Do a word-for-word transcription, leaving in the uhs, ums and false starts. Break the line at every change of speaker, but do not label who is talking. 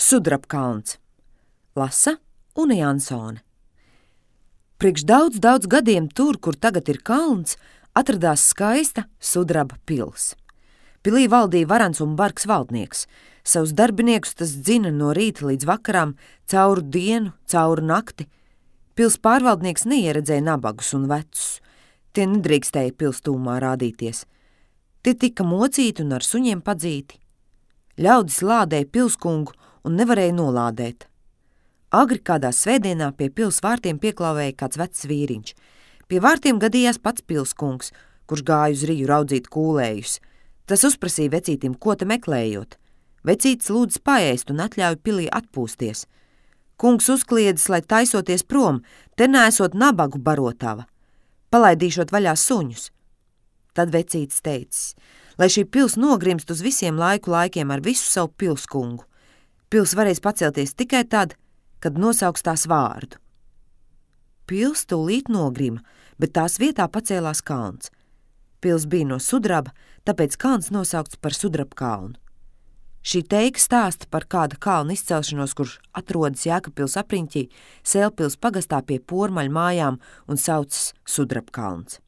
Sudrabkalns. Lasa Une Jansone. Priekš daudz, daudz gadiem tur, kur tagad ir kalns, atradās skaista Sudraba pils. Pilī valdīja varans un bargs valdnieks. Savus darbiniekus tas dzina no rīta līdz vakaram, cauru dienu, cauru nakti. Pils pārvaldnieks neieredzēja nabagus un vecus. Tie nedrīkstēja pils tūmā rādīties. Tie tika mocīti un ar suņiem padzīti. Ļaudis lādēja pilskungu un nevarēja nolādēt. Agri kādā svētdienā pie pils vārtiem pieklāvēja kāds vecs vīriņš. Pie vārtiem gadījās pats pilskungs, kurš gāja uz riju raudzīt kūlējus. Tas uzprasīja vecītim, ko te meklējot. Vecītis lūdz paēst un atļauj pilī atpūsties. Kungs uzkliedzis, lai taisoties prom, te neesot nabagu barotava. Palaidīšot vaļā suņus. Tad vecītis teicis, lai šī pils nogrimst uz visiem laiku laikiem ar visu savu pilskungu. Pils varēs pacelties tikai tad, kad nosauks tās vārdu. Pils tūlīt nogrima, bet tās vietā pacēlās kalns. Pils bija no sudraba, tāpēc kalns nosaukts par Sudrabkalnu. Šī teika stāsta par kāda kalna izcelšanos, kurš atrodas Jēkabpils apriņķī, Sēlpils pagastā pie Pormaļu mājām un saucas Sudrabkalns.